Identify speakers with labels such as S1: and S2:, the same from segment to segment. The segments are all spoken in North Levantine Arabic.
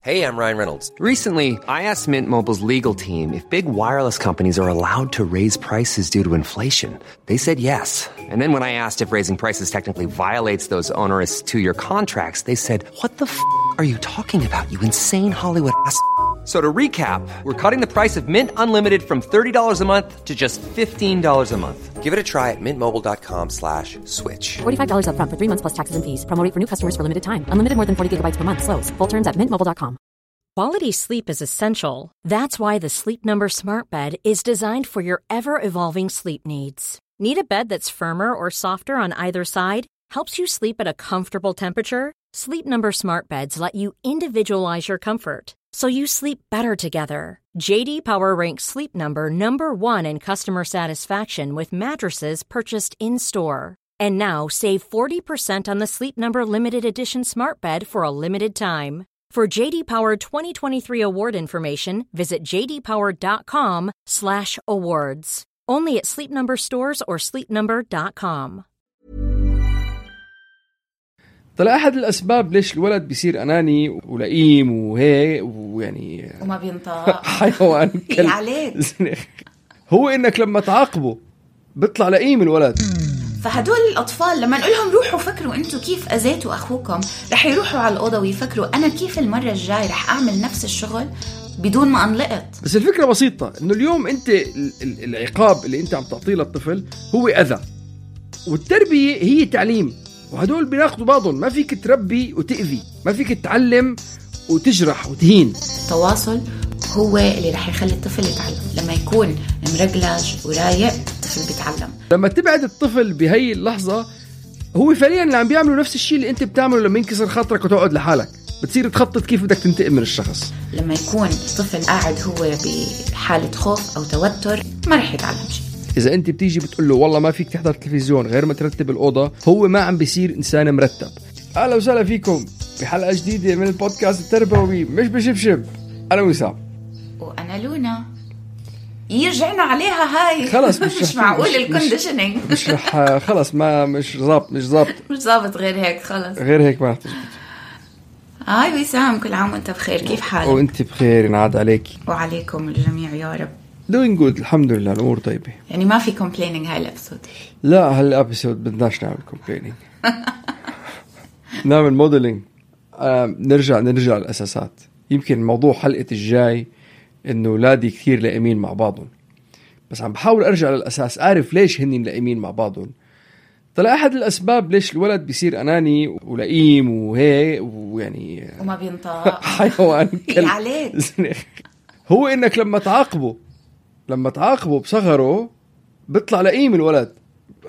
S1: Hey, I'm Ryan Reynolds.
S2: Recently, I asked Mint Mobile's legal team if big wireless companies are allowed to raise prices due to inflation. They said yes. And then when I asked if raising prices technically violates those onerous two-year contracts, they said, "What the are you talking about, you insane Hollywood ass?" So to recap, we're cutting the price of Mint Unlimited from $30 a month to just $15 a month.
S1: Give it a try at mintmobile.com/switch.
S3: $45 up front for 3 months plus taxes and fees. Promo rate for new customers for limited time. Unlimited more than 40 gigabytes per month. Slows full terms at mintmobile.com.
S4: Quality sleep is essential. That's why the Sleep Number Smart Bed is designed for your ever-evolving sleep needs. Need a bed that's firmer or softer on either side? Helps you sleep at a comfortable temperature? Sleep Number Smart Beds let you individualize your comfort, so you sleep better together. J.D. Power ranks Sleep Number #1 in customer satisfaction with mattresses purchased in-store. And now save 40% on the Sleep Number Limited Edition Smart Bed for a limited time. For J.D. Power 2023 award information, visit jdpower.com/awards. Only at Sleep Number stores or sleepnumber.com.
S5: طلع أحد الأسباب ليش الولد بيصير أناني ولئيم وهيك ويعني
S6: وما بينطق
S5: حيوان كلب
S6: عليك
S5: هو إنك لما تعاقبه بيطلع لئيم الولد.
S6: فهدول الأطفال لما نقول لهم روحوا فكروا أنتوا كيف أذيتوا أخوكم، رح يروحوا على الأوضة ويفكروا أنا كيف المرة الجاي رح أعمل نفس الشغل بدون ما أنلقط.
S5: بس الفكرة بسيطة، إنه اليوم أنت العقاب اللي أنت عم تعطيه للطفل هو أذى، والتربية هي تعليم، وهدول بيناقضوا بعضهم. ما فيك تربي وتأذي، ما فيك تعلم وتجرح وتهين.
S6: التواصل هو اللي رح يخلي الطفل يتعلم. لما يكون مرجلج ورايق الطفل بيتعلم. لما
S5: تبعد الطفل بهي اللحظة هو فعليا اللي عم بيعملوا نفس الشيء اللي انت بتعمله لما ينكسر خاطرك وتقعد لحالك، بتصير تخطط كيف بدك تنتقم من الشخص.
S6: لما يكون الطفل قاعد هو بحالة خوف أو توتر ما رح يتعلم شيء.
S5: إذا أنت بتيجي بتقول له والله ما فيك تحضر تلفزيون غير ما ترتب الأوضة، هو ما عم بيصير إنسان مرتب. أهلا وسهلا فيكم بحلقة جديدة من البودكاست التربوي مش بشبشب. أنا وسام
S6: وأنا لونا. يرجعنا عليها هاي
S5: خلص
S6: مش معقول الكونديشنينج
S5: مش رح خلص ما مش ظابط
S6: غير هيك خلص
S5: غير هيك ما تزبط.
S6: هاي وسام، كل عام وانت بخير، كيف حالك؟
S5: وانت بخير، ينعاد عليك
S6: وعليكم الجميع يا رب.
S5: doing good الحمد لله، الأمور طيبة.
S6: يعني ما في complaining هاي الابسود؟
S5: لا هالابسود بدناش نعمل complaining. نعمل موديلينج. نرجع للأساسات. يمكن موضوع حلقة الجاي إنه أولادي كثير لائمين مع بعضهم، بس عم بحاول أرجع للأساس أعرف ليش هني لائمين مع بعضهم. طلع أحد الأسباب ليش الولد بيصير أناني ولئيم وهيك ويعني
S6: وما بينطق
S5: حيوان كلب
S6: عليك.
S5: هو إنك لما تعاقبه بصغره بيطلع لئيم الولد.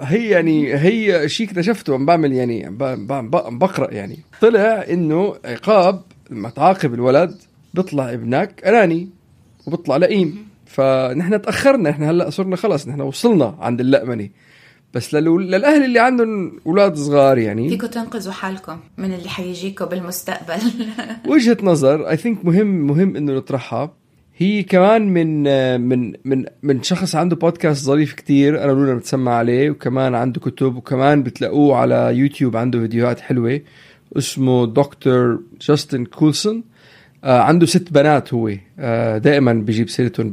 S5: هي شيء اكتشفته عم بعمل يعني عم بقرأ يعني طلع إنه عقاب لما تعاقب الولد بيطلع ابنك أناني وبيطلع لئيم. فنحن تأخرنا، نحن هلأ صرنا خلص نحن وصلنا عند اللأمنة. بس للأهل اللي عندهم أولاد صغار يعني
S6: فيكم تنقذوا حالكم من اللي حيجيكم بالمستقبل.
S5: وجهة نظر I think مهم إنه نطرحها. هي كمان من شخص عنده بودكاست ظريف كتير، أنا ولونا بتسمع عليه، وكمان عنده كتب، وكمان بتلاقوه على يوتيوب عنده فيديوهات حلوة. اسمه دكتور جاستن كولسون. عنده 6 بنات. هو دائما بيجيب سيرتهم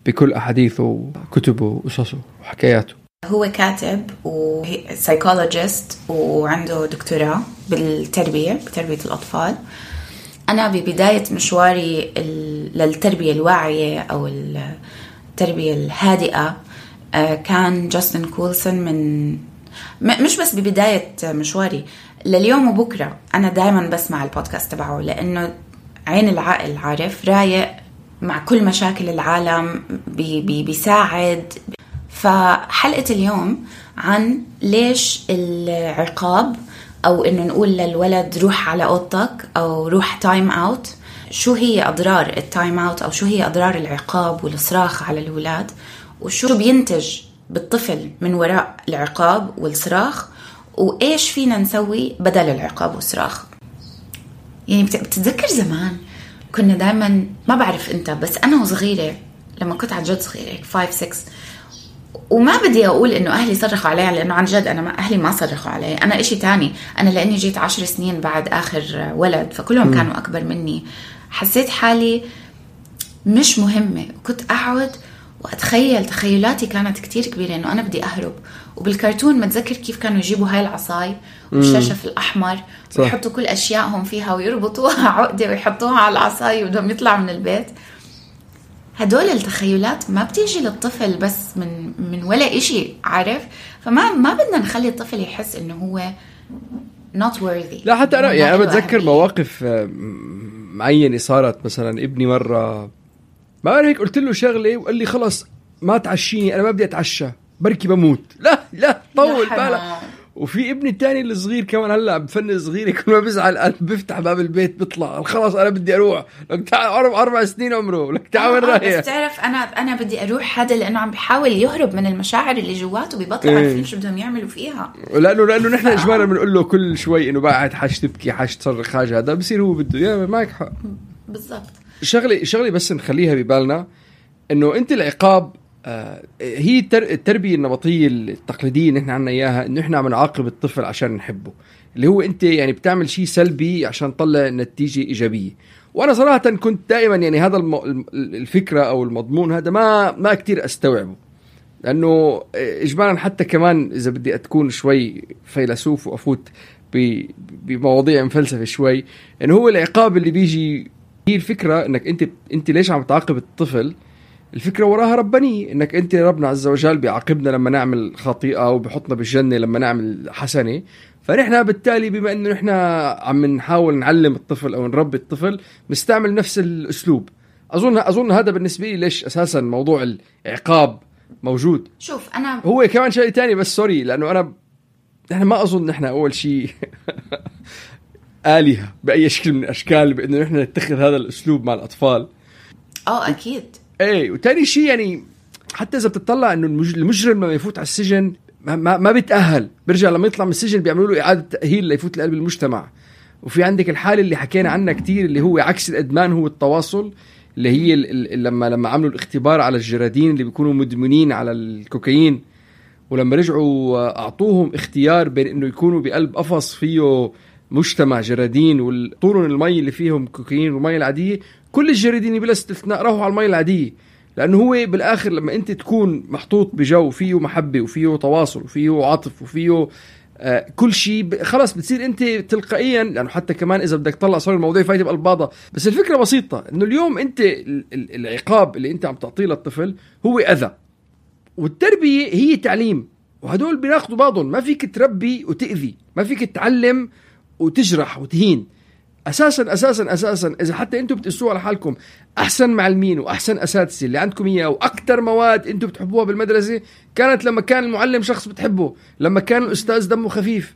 S5: بكل أحاديثه وكتبه وقصصه وحكاياته.
S6: هو كاتب وسايكولوجيست وعنده دكتوراه بتربية الأطفال. أنا ببداية مشواري للتربية الواعية أو التربية الهادئة كان جاستن كولسون. مش بس ببداية مشواري، لليوم وبكرة أنا دائما بسمع البودكاست تبعه، لأنه عين العقل، عارف، رايق مع كل مشاكل العالم، بيساعد. فحلقة اليوم عن ليش العقاب أو إنه نقول للولد روح على أوضتك أو روح تايم أوت، شو هي أضرار التايم أوت أو شو هي أضرار العقاب والصراخ على الولاد، وشو بينتج بالطفل من وراء العقاب والصراخ، وإيش فينا نسوي بدل العقاب والصراخ. يعني بتتذكر زمان كنا دائما، ما بعرف أنت، بس أنا وصغيرة لما كنت عن جد صغيرة 5-6 وما بدي أقول إنه أهلي صرخوا علي، لأنه عن جد أنا أهلي ما صرخوا علي، أنا إشي تاني. أنا لأني جيت 10 سنين بعد آخر ولد، فكلهم كانوا أكبر مني، حسيت حالي مش مهمة. كنت أقعد وأتخيل تخيلاتي كانت كتير كبيرة إنه أنا بدي أهرب. وبالكرتون متذكر كيف كانوا يجيبوا هاي العصاي والشاشف الأحمر ويحطوا كل أشيائهم فيها ويربطوها عقدة ويحطوها على العصاي وبدهم يطلعوا من البيت. هدول التخيلات ما بتيجي للطفل بس من ولا إشي، عارف؟ فما بدنا نخلي الطفل يحس إنه هو not worthy.
S5: لا حتى أنا يعني أنا بتذكر مواقف معينة صارت. مثلا ابني مرة ما هيك قلت له شغلة وقال لي خلص ما تعشيني، أنا ما بدي أتعشى بركي بموت. لا طول بالك. وفي ابني التاني الصغير كمان هلا بفن صغير، كل ما بزعل بفتح باب البيت بيطلع خلاص أنا بدي أروح. لك تعال 4 سنين عمره، لك تعال رايح.
S6: بس تعرف أنا بدي أروح هذا لأنه عم بيحاول يهرب من المشاعر اللي جواته، بيبطلوا عارفين شو بدهم يعملوا فيها. لأنه
S5: نحن إجمالا بنقول له كل شوي إنه بعد حاج تبكي حاج تصرخ حاجة، هذا بصير هو بده. يا معك حق
S6: بالضبط.
S5: شغلي بس نخليها ببالنا إنه أنت العقاب هي التربية النمطية التقليدية اللي احنا عنا اياها، انه احنا عم نعاقب الطفل عشان نحبه، اللي هو انت يعني بتعمل شيء سلبي عشان تطلع نتيجة ايجابية. وانا صراحة كنت دائما يعني هذا الفكرة او المضمون هذا ما كتير استوعبه، لانه اجمالا حتى كمان اذا بدي اتكون شوي فيلسوف وافوت بمواضيع مفلسفة شوي، انه هو العقاب اللي بيجي هي الفكرة انك انت ليش عم تعاقب الطفل. الفكرة وراها ربانية، انك انت ربنا عز وجل بيعاقبنا لما نعمل خطيئة وبحطنا بالجنة لما نعمل حسنة. فنحن بالتالي بما انه نحن عم نحاول نعلم الطفل او نربي الطفل نستعمل نفس الاسلوب. اظن هذا بالنسبة لي ليش اساسا موضوع العقاب موجود.
S6: شوف انا
S5: هو كمان شيء تاني بس سوري، لانه نحن ما اظن نحن اول شيء آلهة بأي شكل من الاشكال بانه نحن نتخذ هذا الاسلوب مع الاطفال.
S6: اكيد.
S5: ايه وتاني شيء يعني حتى اذا بتطلع انه المجرم لما يفوت على السجن ما بيتأهل، برجع لما يطلع من السجن بيعملوا له اعادة تأهيل ليفوت لقلب المجتمع. وفي عندك الحالة اللي حكينا عنها كتير اللي هو عكس الادمان، هو التواصل، اللي هي لما عملوا الاختبار على الجرادين اللي بيكونوا مدمنين على الكوكايين، ولما رجعوا اعطوهم اختيار بين انه يكونوا بقلب قفص فيه مجتمع جرادين وطولن المي اللي فيهم كوكايين والمي العادية، كل الجرادين بلا استثناء راحوا على المي العادية. لأنه هو بالآخر لما أنت تكون محطوط بجو فيه محبة وفيه تواصل وفيه عاطف وفيه كل شيء، خلاص بتصير أنت تلقائيا. لأنه حتى كمان إذا بدك تطلع صار الموضوع فايت بقلباضة، بس الفكرة بسيطة إنه اليوم أنت العقاب اللي أنت عم تعطيه للطفل هو أذى، والتربية هي تعليم، وهدول بيناقضوا بعضهم. ما فيك تربي وتأذي، ما فيك تعلم وتجرح وتهين. أساساً إذا حتى أنتم بتقسوا على حالكم أحسن معلمين وأحسن أساتذة اللي عندكم إياه وأكتر مواد أنتم بتحبوها بالمدرسة كانت لما كان المعلم شخص بتحبه، لما كان الأستاذ دمه خفيف.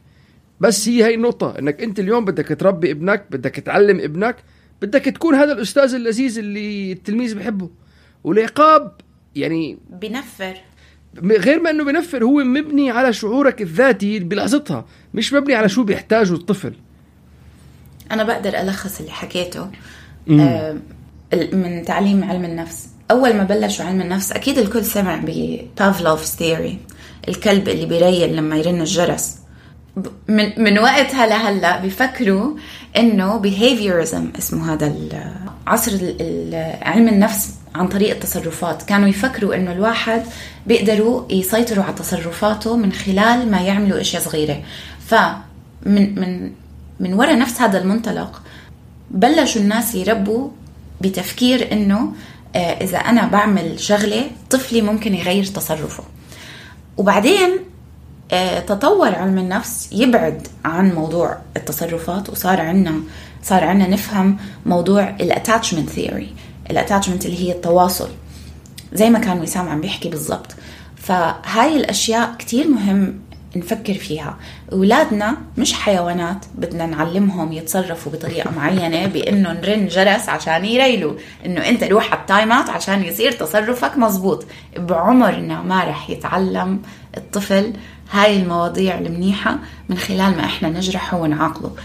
S5: بس هي النقطة، إنك أنت اليوم بدك تربي ابنك، بدك تعلم ابنك، بدك تكون هذا الأستاذ اللذيذ اللي التلميذ بحبه. والعقاب يعني
S6: بنفر،
S5: غير ما أنه بنفر، هو مبني على شعورك الذاتي بلحظتها، مش مبني على شو بيحتاجه الطفل.
S6: أنا بقدر ألخص اللي حكيته من تعليم علم النفس. أول ما بلشوا علم النفس أكيد الكل سمع ببافلوف's ثيوري، الكلب اللي بيريل لما يرن الجرس. من وقتها لهلأ بيفكروا إنه behaviorism اسمه هذا عصر علم النفس عن طريق التصرفات. كانوا يفكروا إنه الواحد بيقدروا يسيطروا على تصرفاته من خلال ما يعملوا أشياء صغيرة. من وراء نفس هذا المنطلق بلشوا الناس يربوا بتفكير إنه إذا أنا بعمل شغلة طفلي ممكن يغير تصرفه. وبعدين تطور علم النفس يبعد عن موضوع التصرفات، وصار عنا نفهم موضوع الاتاتشمنت ثيوري. الاتاتشمنت اللي هي التواصل، زي ما كان وسام عم بيحكي بالضبط. فهاي الأشياء كتير مهم نفكر فيها. أولادنا مش حيوانات بدنا نعلمهم يتصرفوا بطريقة معينة بأنه نرن جرس عشان يريلوا، أنه أنت روح على التايمات عشان يصير تصرفك مزبوط. بعمرنا ما رح يتعلم الطفل هاي المواضيع المنيحة من خلال ما إحنا نجرحه ونعاقله.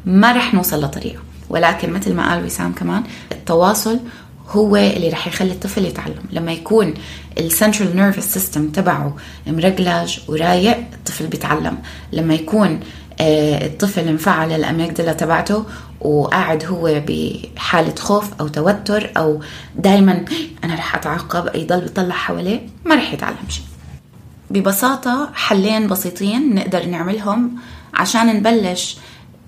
S6: ما رح نوصل لطريقة. ولكن مثل ما قال وسام كمان، التواصل هو اللي رح يخلي الطفل يتعلم. لما يكون السنترال نيرفس سيستم تبعه مرجلج ورايق الطفل بيتعلم. لما يكون الطفل انفعل الأميجدلا تبعته وقاعد هو بحالة خوف أو توتر أو دايما أنا رح أتعاقب يضل بيطلع حواليه، ما رح يتعلم شيء. ببساطة حلين بسيطين نقدر نعملهم عشان نبلش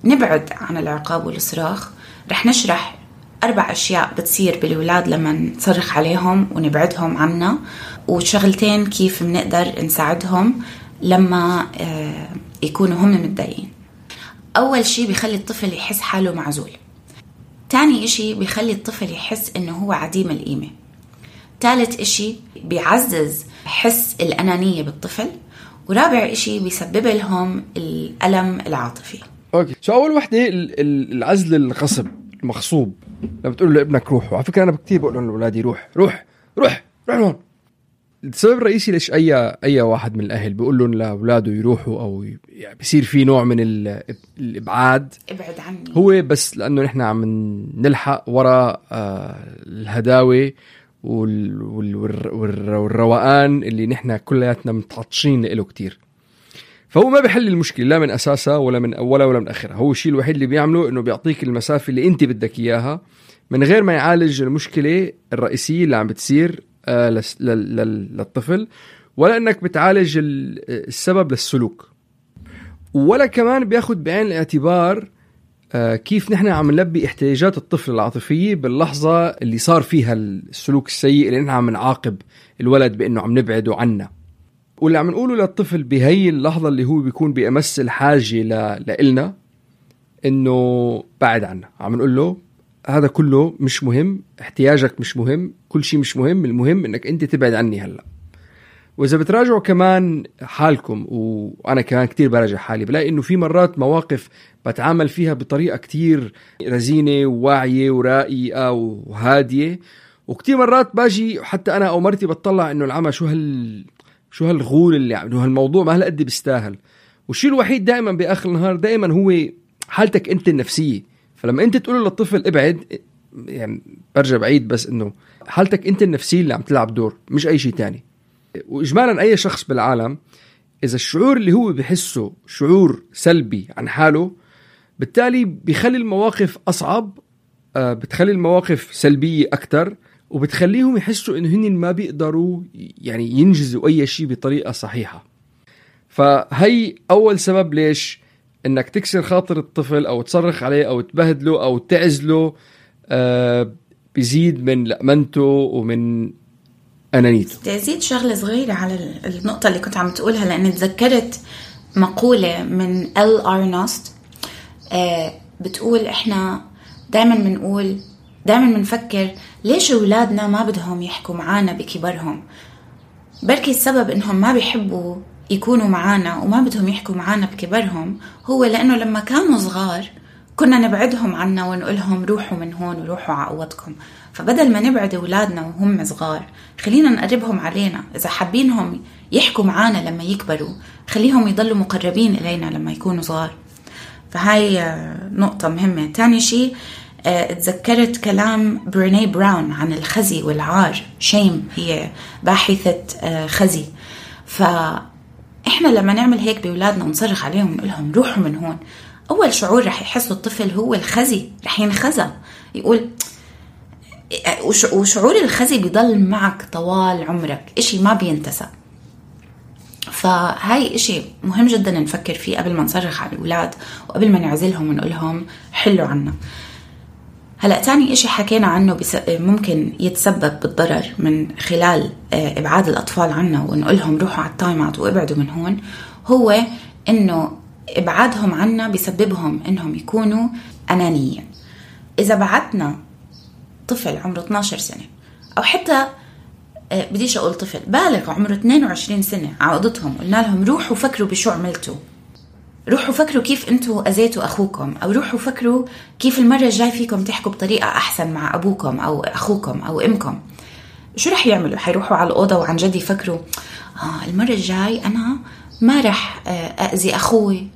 S6: نبعد عن العقاب والصراخ. رح نشرح 4 أشياء بتصير بالولاد لما نصرخ عليهم ونبعدهم عنا، وشغلتين كيف بنقدر نساعدهم لما يكونوا هم متضايقين. أول شيء بيخلي الطفل يحس حاله معزول. تاني إشي بيخلي الطفل يحس إنه هو عديم القيمة. ثالث إشي بيعزز حس الأنانية بالطفل. ورابع إشي بيسبب لهم الألم العاطفي.
S5: أوكي، شو أول وحدة العزل الغصب المغصوب. لما بتقول له ابنك روح، وعلى فكرة أنا كتير بقول لهم لأولادي روح روح روح روح هون. السبب الرئيسي ليش أي واحد من الأهل بيقول لهم لأولاده يروحوا أو يعني بيصير في نوع من الإبعاد، ابعد عني، هو بس لأنه نحن عم نلحق وراء الهداوة والروقان اللي نحن كلياتنا متعطشين له كتير. فهو ما بيحل المشكلة لا من أساسها ولا من أولها ولا من آخرها. هو الشيء الوحيد اللي بيعمله إنه بيعطيك المسافة اللي أنت بدك إياها من غير ما يعالج المشكلة الرئيسية اللي عم بتصير للطفل، ولا إنك بتعالج السبب للسلوك، ولا كمان بياخد بعين الاعتبار كيف نحن عم نلبي احتياجات الطفل العاطفية باللحظة اللي صار فيها السلوك السيء اللي نحن عم نعاقب الولد بأنه عم نبعده عنا. واللي عم نقوله للطفل بهي اللحظة اللي هو بيكون بأمس الحاجة لإلنا إنه بعد عنا، عم نقول له هذا كله مش مهم، احتياجك مش مهم، كل شيء مش مهم، المهم إنك أنت تبعد عني هلأ. وإذا بتراجعوا كمان حالكم، وأنا كمان كتير براجع حالي، بلاقي إنه في مرات مواقف بتعامل فيها بطريقة كتير رزينة وواعية ورائية وهادية، وكتير مرات باجي حتى أنا أو مرتي بتطلع إنه العمى شو هالغول اللي عمله، هالموضوع ما هالقد بيستاهل. والشيء الوحيد دائما بآخر النهار دائما هو حالتك أنت النفسية. فلما أنت تقول للطفل ابعد، يعني برجع بعيد بس إنه حالتك أنت النفسية اللي عم تلعب دور، مش أي شيء تاني. وإجمالا أي شخص بالعالم إذا الشعور اللي هو بيحسه شعور سلبي عن حاله، بالتالي بيخلي المواقف أصعب، بتخلي المواقف سلبية أكتر، وبتخليهم يحسوا إنه هن ما بيقدروا يعني ينجزوا أي شيء بطريقة صحيحة. فهي أول سبب ليش إنك تكسر خاطر الطفل أو تصرخ عليه أو تبهدله أو تعزله بيزيد من لأمنته ومن أنانيته.
S6: تزيد شغلة صغيرة على النقطة اللي كنت عم تقولها، لأني تذكرت مقولة من ال أرنست بتقول إحنا دائما بنفكر ليش أولادنا ما بدهم يحكوا معانا بكبرهم. بركي السبب إنهم ما بيحبوا يكونوا معانا وما بدهم يحكوا معانا بكبرهم هو لأنه لما كانوا صغار كنا نبعدهم عنا ونقولهم روحوا من هون وروحوا عقوتكم. فبدل ما نبعد أولادنا وهم صغار، خلينا نقربهم علينا. إذا حابينهم يحكوا معانا لما يكبروا، خليهم يضلوا مقربين إلينا لما يكونوا صغار. فهاي نقطة مهمة. تاني شيء، تذكرت كلام بريني براون عن الخزي والعار. شيم هي باحثة خزي. فإحنا لما نعمل هيك بأولادنا ونصرخ عليهم ونقولهم روحوا من هون، أول شعور رح يحسه الطفل هو الخزي، رح ينخزى يقول. وشعور الخزي بيضل معك طوال عمرك، إشي ما بينتسى. فهاي إشي مهم جدا نفكر فيه قبل ما نصرخ على الأولاد وقبل ما نعزلهم ونقولهم حلوا عنا. هلأ تاني إشي حكينا عنه ممكن يتسبب بالضرر من خلال إبعاد الأطفال عنا ونقولهم روحوا على التايم اوت وابعدوا من هون، هو إنه إبعادهم عنا بيسببهم إنهم يكونوا أنانيين. إذا بعدنا طفل عمره 12 سنة أو حتى بديش أقول طفل بالغ عمره 22 سنة عقدتهم، قلنا لهم روحوا فكروا بشو عملتوا، روحوا فكروا كيف أنتوا أذيتوا أخوكم، أو روحوا فكروا كيف المرة الجاي فيكم تحكوا بطريقة أحسن مع أبوكم أو أخوكم أو أمكم. شو رح يعملوا؟ حيروحوا على الأوضة وعن جد يفكروا المرة الجاي أنا ما رح أأذي أخوي،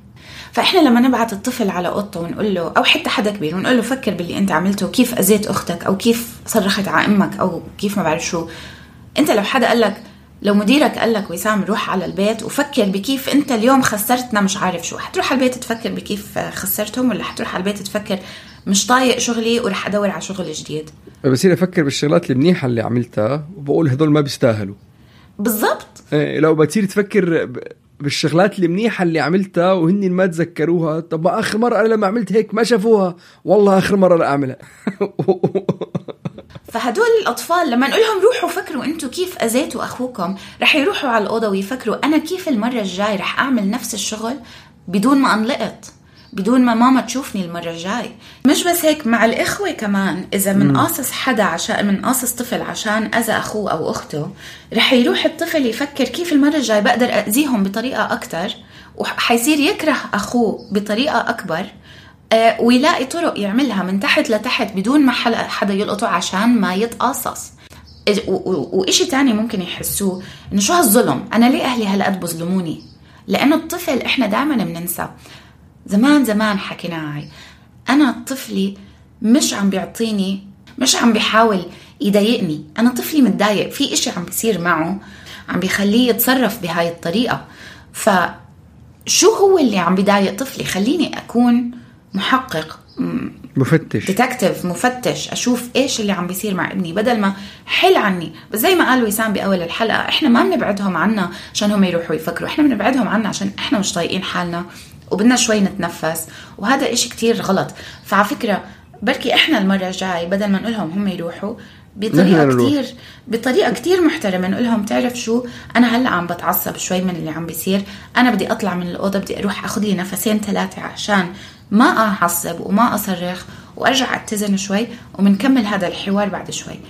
S6: فإحنا لما نبعت الطفل على أوضته ونقول له، أو حتى حدا كبير ونقول له فكر باللي أنت عملته، كيف أذيت أختك أو كيف صرخت على أمك أو كيف ما بعرف شو. أنت لو حدا قال لك، لو مديرك قال لك وسام روح على البيت وفكر بكيف أنت اليوم خسرتنا مش عارف شو، حتروح على البيت تفكر بكيف خسرتهم، ولا حتروح على البيت تفكر مش طايق شغلي ورح أدور على شغل جديد؟
S5: بصير أفكر بالشغلات المنيحة اللي عملتها وبقول هذول ما بيستاهلوا. بالضبط. لو بتصير تفكر بالشغلات المنيحة اللي عملتها وهن ما تذكروها، طب آخر مرة أنا لما عملت هيك ما شافوها، والله آخر مرة لا أعملها.
S6: فهدول الأطفال لما نقولهم روحوا فكروا أنتوا كيف أذيتوا أخوكم، رح يروحوا على الأوضة ويفكروا أنا كيف المرة الجاي رح أعمل نفس الشغل بدون ما أنلقط، بدون ما ماما تشوفني المرة الجاي. مش بس هيك، مع الإخوة كمان، إذا منقاصص حدا عشان منقاصص طفل عشان أذى أخوه أو أخته، رح يروح الطفل يفكر كيف المرة الجاي بقدر أذيهم بطريقة أكتر، وحيصير يكره أخوه بطريقة أكبر، ويلاقي طرق يعملها من تحت لتحت بدون ما حدا يلقطه عشان ما يتقاصص. وإشي تاني ممكن يحسوه إنه شو هالظلم، أنا ليه أهلي هلقد بظلموني؟ لأنه الطفل إحنا دائما بننسى. زمان حكينا هاي، أنا طفلي مش عم بيعطيني، مش عم بيحاول يضايقني، أنا طفلي متضايق في إشي عم بيصير معه عم بيخليه يتصرف بهاي الطريقة. فشو هو اللي عم بيضايق طفلي؟ خليني أكون محقق، مفتش، أشوف إيش اللي عم بيصير مع ابني بدل ما حل عني. بس زي ما قال وسام بأول الحلقة، إحنا ما بنبعدهم عنا عشان هم يروحوا يفكروا، إحنا بنبعدهم عنا عشان إحنا مش طايقين حالنا وبدنا شوي نتنفس، وهذا إشي كتير غلط. فعلى فكرة بركي إحنا المرة الجاي بدل ما نقولهم هم يروحوا بطريقة كتير محترمة، نقولهم تعرف شو، أنا هلأ عم بتعصب شوي من اللي عم بيصير، أنا بدي أطلع من الأوضة، بدي أروح أخذ لي نفسين 3 عشان ما أعصب وما أصرخ، وأرجع أتزن شوي ومنكمل هذا الحوار بعد شوي.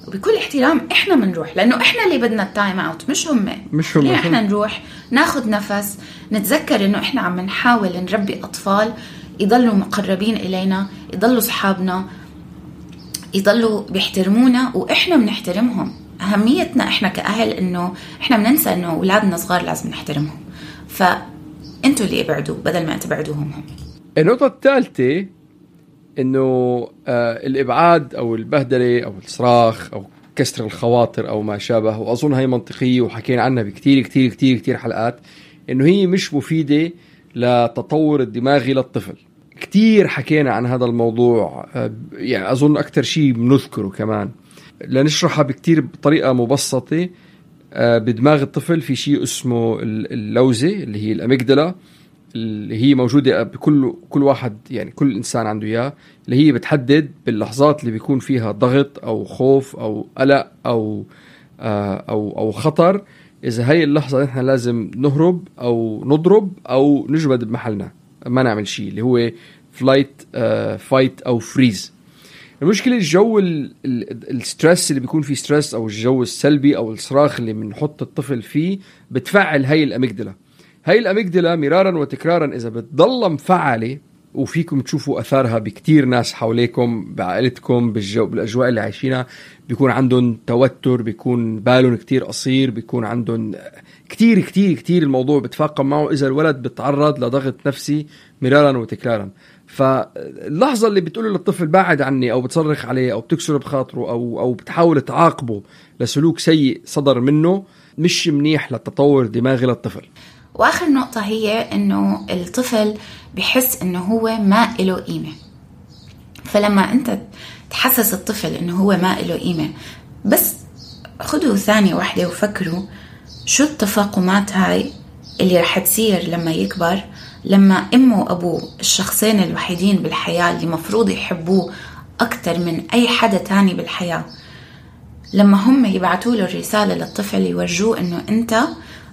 S6: وبكل احترام إحنا منروح، لأنه إحنا اللي بدنا التايم أوت، مش هم. إحنا نروح ناخد نفس، نتذكر إنه إحنا عم نحاول نربي أطفال يضلوا مقربين إلينا، يضلوا صحابنا، يضلوا بيحترمونا وإحنا بنحترمهم. أهميتنا إحنا كأهل إنه إحنا بننسى إنه أولادنا صغار لازم نحترمهم، فأنتوا اللي ابعدوا بدل ما تبعدوهم هم.
S5: النقطة الثالثة إنه الإبعاد أو البهدلة أو الصراخ أو كسر الخواطر أو ما شابه، وأظن هاي منطقية وحكينا عنها بكتير كتير كتير كتير حلقات، إنه هي مش مفيدة لتطور الدماغي للطفل. كتير حكينا عن هذا الموضوع، يعني أظن أكتر شيء بنذكره كمان لنشرحها بكتير بطريقة مبسطة. بدماغ الطفل في شيء اسمه اللوزة اللي هي الأميجدلا، اللي هي موجودة بكل واحد، يعني كل إنسان عنده إياه، اللي هي بتحدد باللحظات اللي بيكون فيها ضغط أو خوف أو قلق أو خطر، إذا هاي اللحظة نحن لازم نهرب أو نضرب أو نجمد بمحلنا ما نعمل شيء، اللي هو فلايت فايت أو فريز. المشكلة الجو الستريس اللي بيكون فيه ستريس أو الجو السلبي أو الصراخ اللي بنحط الطفل فيه بتفعل هاي الأميجدلا. هاي الأميجدلا مرارا وتكرارا إذا بتضل مفعلة، وفيكم تشوفوا أثارها بكتير ناس حواليكم بعائلتكم بالأجواء اللي عايشينها، بيكون عندهم توتر، بيكون بالهم كتير قصير، بيكون عندهم كتير كتير كتير الموضوع بتفاقم معه إذا الولد بتعرض لضغط نفسي مرارا وتكرارا. فاللحظة اللي بتقول للطفل بعد عني أو بتصرخ عليه أو بتكسر بخاطره أو بتحاول تعاقبه لسلوك سيء صدر منه، مش منيح للتطور دماغي للطفل.
S6: وآخر نقطة هي إنه الطفل بيحس إنه هو ما إله قيمة. فلما أنت تحسس الطفل إنه هو ما إله قيمة، بس خدوا ثانية واحدة وفكروا شو التفاقمات هاي اللي رح تصير لما يكبر، لما أمه وأبوه الشخصين الوحيدين بالحياة اللي مفروض يحبوه أكتر من أي حدا تاني بالحياة، لما هم يبعتوا له الرسالة للطفل يورجوه إنه أنت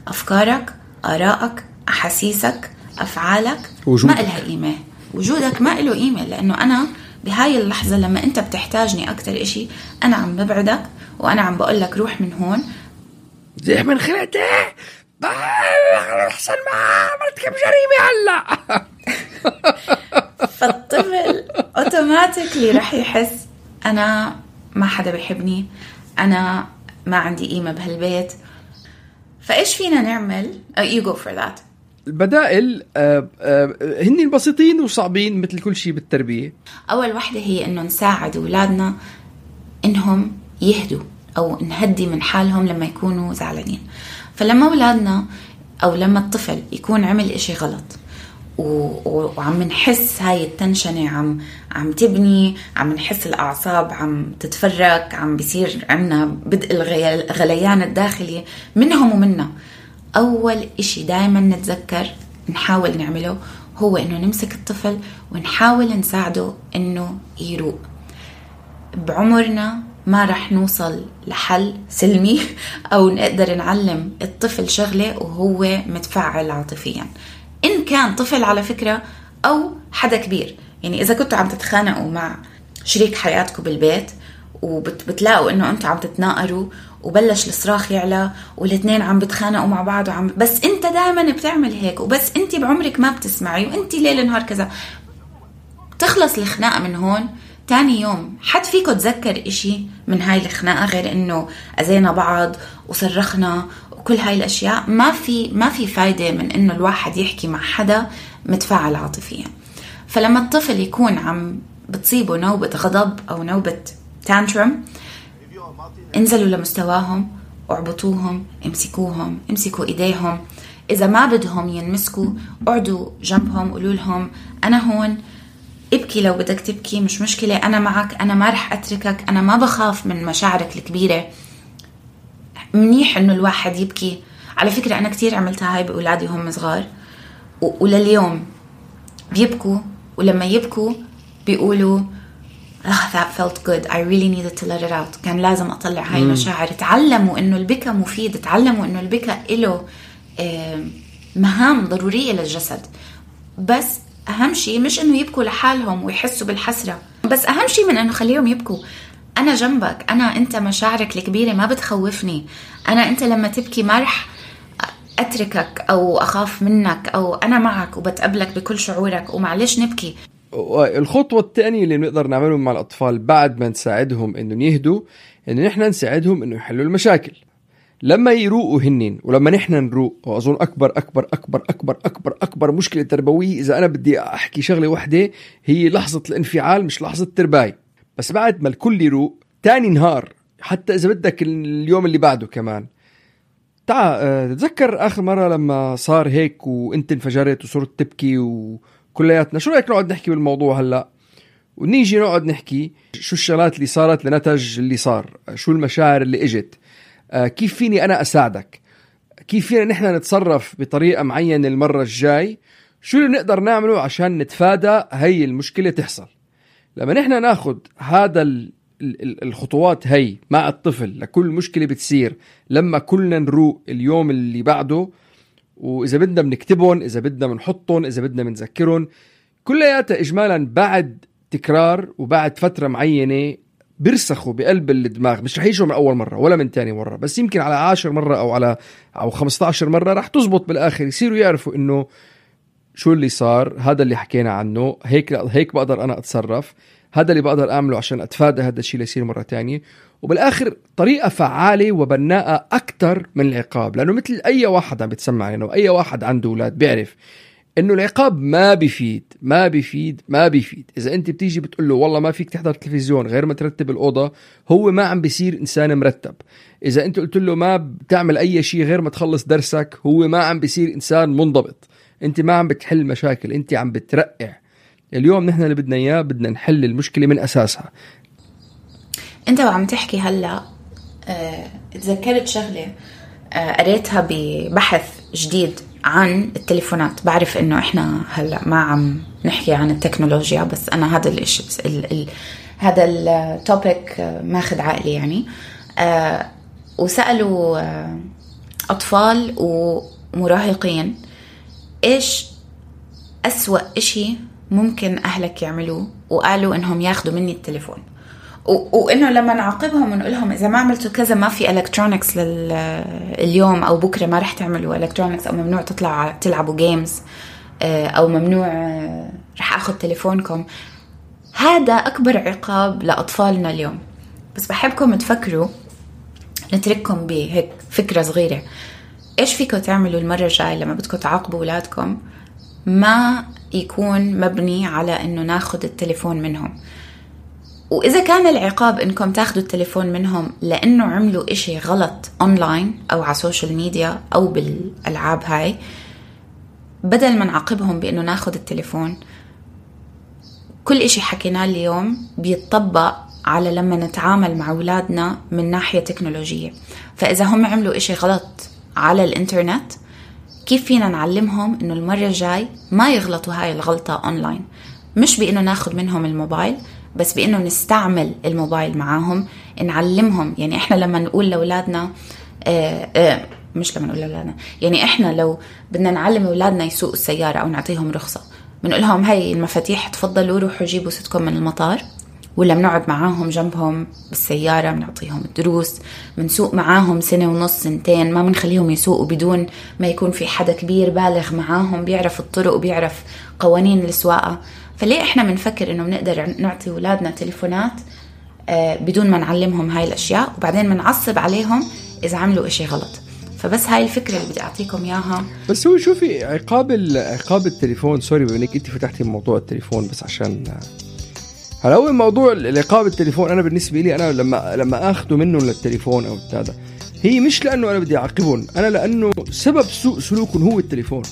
S6: أفكارك، آرائك، أحاسيسك، أفعالك ما إلها قيمة، وجودك ما إله قيمة، لأنه أنا بهاي اللحظة لما أنت بتحتاجني أكتر إشي أنا عم ببعدك وأنا عم بقولك روح من هون
S5: زي من خلقتي أحسن ما مرتكب جريمة هلا.
S6: فالطفل أوتوماتيكلي رح يحس أنا ما حدا بيحبني، أنا ما عندي قيمة بهالبيت. فإيش فينا نعمل؟ You go for that.
S5: البدائل هن بسيطين وصعبين مثل كل شيء بالتربية.
S6: أول واحدة هي إنه نساعد أولادنا إنهم يهدوا أو نهدي من حالهم لما يكونوا زعلانين. فلما أولادنا أو لما الطفل يكون عمل إشي غلط وعم نحس هاي التنشنة عم تبني، عم نحس الأعصاب عم تتفرق، عم بيصير عنا بدء الغليان الداخلي منهم ومنا، أول إشي دايما نتذكر نحاول نعمله هو إنه نمسك الطفل ونحاول نساعده إنه يروق. بعمرنا ما رح نوصل لحل سلمي أو نقدر نعلم الطفل شغلة وهو متفاعل عاطفيا، إن كان طفل على فكرة أو حدا كبير. يعني إذا كنتوا عم تتخانقوا مع شريك حياتكم بالبيت وبتلاقوا إنه أنتوا عم تتناقروا وبلش الصراخ يعلى والاثنين عم بتخانقوا مع بعض بس أنت دائما بتعمل هيك وبس أنت بعمرك ما بتسمعي وأنت ليل نهار كذا، تخلص الخناقة من هون. تاني يوم حد فيكم تذكر إشي من هاي الخناقة غير إنه أذينا بعض وصرخنا وكل هاي الأشياء؟ ما في فايدة من إنه الواحد يحكي مع حدا متفاعل عاطفيا. فلما الطفل يكون عم بتصيبه نوبة غضب أو نوبة تانترم، انزلوا لمستواهم واعبطوهم، امسكوا إيديهم. إذا ما بدهم ينمسكوا اقعدوا جنبهم، قولوا لهم أنا هون، ابكي لو بدك تبكي، مش مشكلة، أنا معك، أنا ما رح أتركك، أنا ما بخاف من مشاعرك الكبيرة. منيح إنه الواحد يبكي. على فكرة أنا كتير عملتها هاي بأولادي هم صغار ولليوم بيبكوا، ولما يبكوا بيقولوا that felt good, I really needed to let it out. كان لازم أطلع هاي المشاعر. تعلموا إنه البكا مفيد، تعلموا إنه البكا إله مهام ضرورية للجسد. بس أهم شيء مش إنه يبكوا لحالهم ويحسوا بالحسرة، بس أهم شيء من إنه خليهم يبكوا. أنا جنبك، أنت مشاعرك الكبيرة ما بتخوفني، أنت لما تبكي ما رح أتركك أو أخاف منك، أو أنا معك وبتقبلك بكل شعورك ومعلش نبكي.
S5: الخطوة الثانية اللي نقدر نعملها مع الأطفال بعد ما نساعدهم إنه يهدوا، إنه نحن نساعدهم إنه يحلوا المشاكل. لما يروقوا هنين ولما نحن نروق، وأظن أكبر مشكلة تربوية إذا أنا بدي أحكي شغلة واحدة هي لحظة الانفعال مش لحظة الترباية. بس بعد ما الكل يروق تاني نهار، حتى إذا بدك اليوم اللي بعده كمان، تذكر آخر مرة لما صار هيك وإنت انفجرت وصرت تبكي وكلياتنا، شو رأيك نقعد نحكي بالموضوع هلأ ونيجي نقعد نحكي شو الشغلات اللي صارت لنتج اللي صار، شو المشاعر اللي إجت، كيف فيني أنا أساعدك، كيف فينا نحن نتصرف بطريقة معينة المرة الجاي، شو اللي نقدر نعمله عشان نتفادى هاي المشكلة تحصل. لما نحن ناخد هذا الخطوات هاي مع الطفل لكل مشكلة بتصير، لما كلنا نروق اليوم اللي بعده، وإذا بدنا بنكتبهم، إذا بدنا بنحطهم، إذا بدنا بنذكرهم، كلياتها إجمالا بعد تكرار وبعد فترة معينة بيرسخوا بقلب الدماغ. مش رح يجوا من أول مرة ولا من تاني مرة، بس يمكن على 10 مرة أو 15 مرة رح تزبط بالآخر، يصيروا يعرفوا إنه شو اللي صار، هذا اللي حكينا عنه، هيك بقدر أنا أتصرف، هذا اللي بقدر أعمله عشان أتفادى هذا الشيء اللي يصير مرة تانية. وبالآخر طريقة فعالة وبناءة أكتر من العقاب، لأنه مثل أي واحد عم بتسمع يعني، وأي واحد عنده أولاد بيعرف إنه العقاب ما بيفيد. إذا أنت بتيجي بتقول له والله ما فيك تحضر تلفزيون غير ما ترتب الأوضة، هو ما عم بيصير إنسان مرتب. إذا أنت قلت له ما بتعمل أي شيء غير ما تخلص درسك، هو ما عم بيصير إنسان منضبط. أنت ما عم بتحل مشاكل، أنت عم بترقع. اليوم نحن اللي بدنا إياه، بدنا نحل المشكلة من أساسها.
S6: أنت وعم تحكي هلأ تذكرت شغلة قريتها ببحث جديد عن التليفونات. بعرف إنه إحنا هلأ ما عم نحكي عن التكنولوجيا، بس أنا هذا هذا التوبيك ماخد عقلي يعني. وسألوا أطفال ومراهقين إيش أسوأ إشي ممكن أهلك يعملوه، وقالوا إنهم ياخدوا مني التليفون، وإنه لما نعاقبهم ونقولهم إذا ما عملتوا كذا ما في إلكترونيكس اليوم أو بكرة، ما رح تعملوا إلكترونيكس، أو ممنوع تلعبوا جيمز، أو ممنوع رح أخذ تليفونكم. هذا أكبر عقاب لأطفالنا اليوم. بس بحبكم تفكروا، نترككم بهيك فكرة صغيرة. إيش فيكم تعملوا المرة الجاية لما بدكم تعاقبوا أولادكم ما يكون مبني على إنه ناخد التليفون منهم. وإذا كان العقاب إنكم تاخدوا التليفون منهم لأنه عملوا إشي غلط أونلاين أو على السوشيال ميديا أو بالألعاب هاي، بدل ما نعاقبهم بإنه ناخد التليفون، كل إشي حكيناه اليوم بيتطبق على لما نتعامل مع أولادنا من ناحية تكنولوجية. فإذا هم عملوا إشي غلط على الإنترنت، كيف فينا نعلمهم إنه المرة الجاي ما يغلطوا هاي الغلطة أونلاين؟ مش بإنه ناخد منهم الموبايل، بس بإنه نستعمل الموبايل معاهم، نعلمهم. يعني إحنا لما نقول لأولادنا مش لما نقول لأولادنا، يعني إحنا لو بدنا نعلم أولادنا يسوقوا السيارة أو نعطيهم رخصة، بنقول لهم هاي المفاتيح، تفضلوا روحوا جيبوا ستكم من المطار. ولا بنقعد معاهم جنبهم بالسيارة، بنعطيهم الدروس، بنسوق معاهم 1.5 سنة 2 ما بنخليهم يسوقوا بدون ما يكون في حدا كبير بالغ معاهم بيعرف الطرق وبيعرف قوانين السواقة. فليه إحنا بنفكر إنه بنقدر نعطي أولادنا تليفونات بدون ما نعلمهم هاي الأشياء، وبعدين بنعصب عليهم إذا عملوا إشي غلط؟ فبس هاي الفكرة اللي بدي أعطيكم إياها.
S5: بس هو شوفي، عقاب التليفون، سوري بأنك أنت فتحتي موضوع التليفون، بس عشان هلا هو موضوع العقاب التليفون، أنا بالنسبة لي أنا لما أخذه منه للتليفون أو هذا، هي مش لأنه أنا بدي أعاقبهم، أنا لأنه سبب سوء سلوكهم هو التليفون.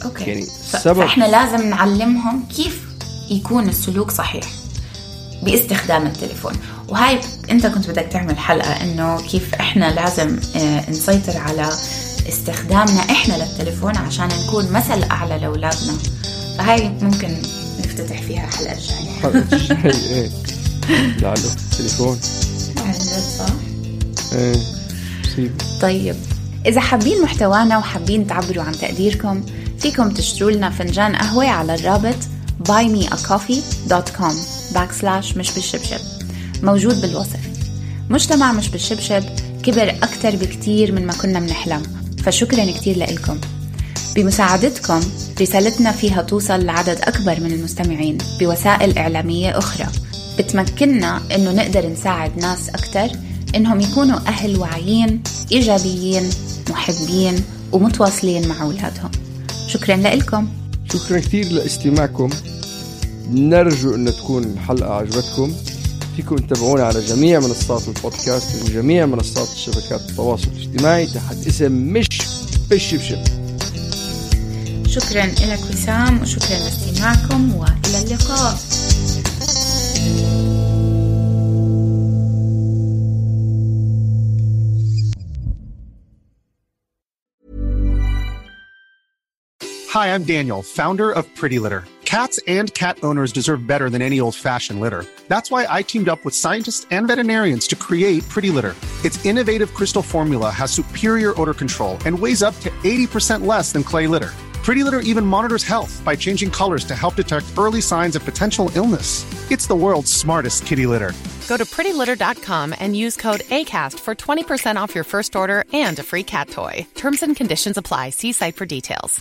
S6: أوكي.
S5: يعني
S6: فإحنا لازم نعلمهم كيف يكون السلوك صحيح باستخدام التليفون. وهاي أنت كنت بدك تعمل حلقة إنه كيف إحنا لازم نسيطر على استخدامنا إحنا للتليفون عشان نكون مثل أعلى لأولادنا. فهاي ممكن نفتتح فيها حلقة الجاية.
S5: إيه لعله تليفون
S6: صح؟
S5: إيه سيب.
S6: طيب، إذا حابين محتوانا وحابين تعبروا عن تقديركم، فيكم تشتروا لنا فنجان قهوة على الرابط buymeacoffee.com/مش بالشبشب، موجود بالوصف. مجتمع مش بالشبشب كبر أكتر بكتير من ما كنا بنحلم، فشكرا كتير لكم. بمساعدتكم رسالتنا فيها توصل لعدد أكبر من المستمعين بوسائل إعلامية أخرى، بتمكننا إنه نقدر نساعد ناس أكتر إنهم يكونوا أهل واعيين إيجابيين محبين ومتواصلين مع أولادهم. شكرا لكم.
S5: شكرا كتير لاستماعكم. نرجو أن تكون الحلقة عجبتكم. فيكم تتابعونا على جميع منصات البودكاست وجميع منصات الشبكات التواصل الاجتماعي تحت اسم مش بالشبشب.
S6: شكرا لك وسام، وشكرا لاستماعكم، وإلى اللقاء.
S7: Hi, I'm Daniel, founder of Pretty Litter. Cats and cat owners deserve better than any old-fashioned litter. That's why I teamed up with scientists and veterinarians to create Pretty Litter. Its innovative crystal formula has superior odor control and weighs up to 80% less than clay litter. Pretty Litter even monitors health by changing colors to help detect early signs of potential illness. It's the world's smartest kitty litter.
S8: Go to prettylitter.com and use code ACAST for 20% off your first order and a free cat toy. Terms and conditions apply. See site for details.